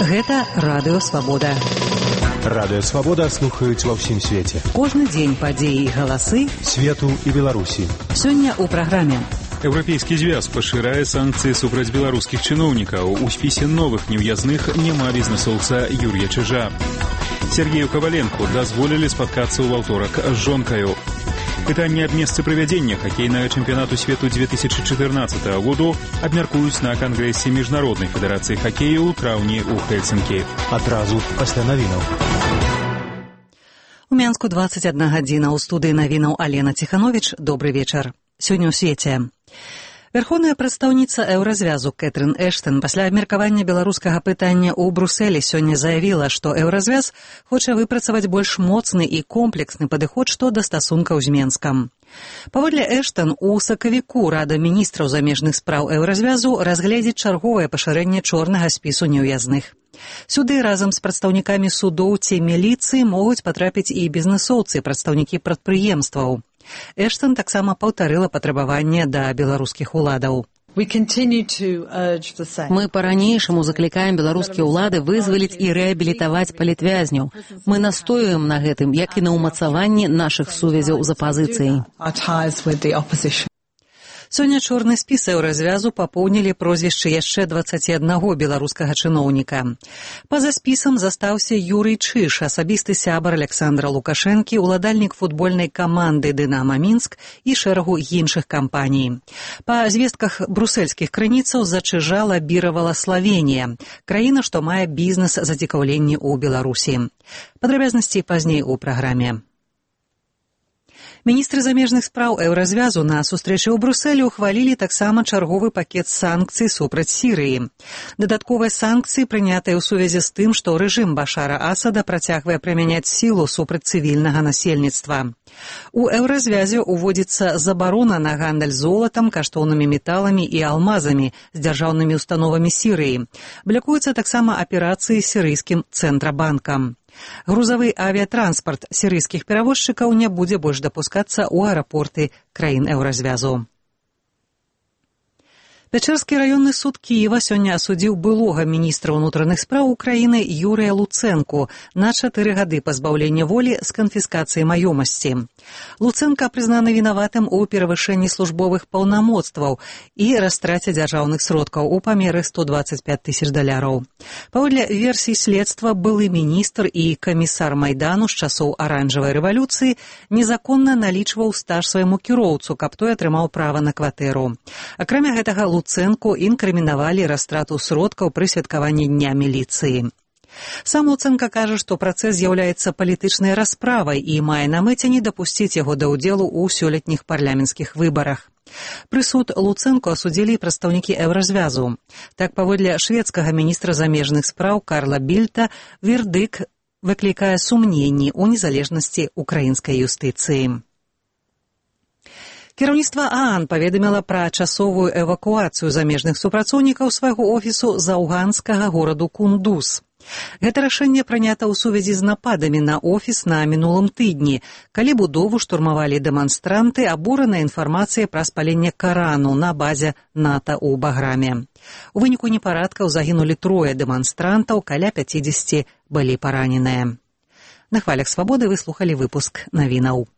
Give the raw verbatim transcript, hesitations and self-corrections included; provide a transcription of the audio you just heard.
Гэта Радыё Свабода. Радыё Свабода слухаюць ва ўсім свеце. Кожны дзень падзеі і галасы свету і Беларусі. Сёння ў праграме. Еўрапейскі звяз пашырае санкцыі супраць беларускіх чыноўнікаў. У спісе новых неўязных няма бізнэсоўца Юрія Чижа. Сергею Коваленку дазволілі спаткацца ў аўторак з жонкаю. Пытанне аб месцы правядзення хакейнага чэмпіянату свету две тысячи чатырнаццатага году абмяркуюць на кангрэсе міжнароднай федэрацыі хакею ў траўні ў Хельсінкі. Адразу пасля навінаў. У Мянску двадцать одна гадзіна. У студыі навінаў Алена Ціхановіч. Добры вечар. Сёння ў свеце. Верховная прадстаўніца Еўразвязу Кэтрын Эштон пасля абмеркавання беларускага пытання ў Брусэлі сёння заявіла, што Еўразвяз хоча выпрацаваць больш моцны і комплексны падыход што да стасункаў з Менскам. Паводле Эштон, у сакавіку Рада міністраў замежных спраў Еўразвязу разгледзіць чарговае пашырэнне чорнага спісу неўязных. Сюды разам з прадстаўнікамі судоў ці міліцыі могуць патрапіць і бізнэсоўцы, прадстаўнікі прадпрыемстваў. Эштон таксама паўтарыла патрабаванне да беларускіх уладаў. Мы па-ранейшаму заклікаем беларускія ўлады вызваліць і рэабілітаваць палітвязняў. Мы настоюем на гэтым, як і на ўмацаванні нашых сувязяў з апазіцыяй. Сёння чорны спіс Еўразвязу папоўнілі прозвішчы яшчэ дваццаці аднаго беларускага чыноўніка. Па-за спісам застаўся Юрый Чиж, асабісты сябар Александра Лукашэнкі, уладальнік футбольнай каманды «Дынама Мінск» і шэрагу іншых кампаній. Па звестках брусельскіх крыніцаў за Чижа лабіравала Славенія, краіна, што мае бізнес-зацікаўленні ў Беларусі. Падрабязнасці пазней у праграме. Міністры замежных спраў Еўразвязу на сустрэчы ў Брусэлі ухвалілі таксама чарговы пакет санкцый супраць Сірыі. Дадатковыя санкцыі прынятыя ў сувязі з тым, што рэжым Башара Асада працягвае прымяняць сілу супраць цывільнага насельніцтва. У Еўразвязе ўводзіцца забарона на гандаль золатам, каштоўнымі металамі і алмазамі з дзяржаўнымі установамі Сірыі. Блякуюцца таксама аперацыі сірыйскім цэнтрабанкам. Грузавы авіятранспарт сірыйскіх перавозчыкаў не будзе больш дапускацца ў аэрапорты краін Еўразвязу. Пячэрскі раённы суд Кіева сёння асудзіў былога міністра ўнутраных спраў Украіны Юрыя Луцэнку на чатыры гады пазбаўлення волі з канфіскацыяй маёмасці. Луцэнка прызнаны вінаватым у перавышэнні службовых паўнамоцтваў і растраце дзяржаўных сродкаў у памеры сто дваццаць пяць тысяч даляраў. Паводле версій следства, былы міністр і камісар Майдану з часоў аранжавай рэвалюцыі незаконна налічваў стаж свайму кіроўцу, каб той атрымаў права на кватэру. Акрамя гэтага, Луцэнку інкрымінавалі растрату сродкаў пры святкаванні дня міліцыі. Сам Луцэнка кажа, што працэс з'яўляецца палітычнай расправай і мае на мэце не дапусціць яго да ўдзелу ў сёлетніх парламенцкіх выбарах. Прысуд Луцэнку асудзілі прадстаўнікі Еўразвязу. Так, паводле шведскага міністра замежных спраў Карла Більта, вердыкт выклікае сумненні ў незалежнасці украінскай юстыцыі. Кіраўніцтва ААН паведаміла пра часовую эвакуацыю замежных супрацоўнікаў свайго офісу з афганскага гораду Кундуз. Гэта рашэнне прынята ў сувязі з нападамі на офіс на мінулым тыдні, калі будову штурмавалі дэманстранты, абуранай інфармацыяй пра спаленне Карану на базе НАТО ў Баграме. У выніку непарадкаў загінулі трое дэманстрантаў, каля пяцідзесяці былі параненыя. На хвалях Свабоды вы слухалі выпуск навінаў.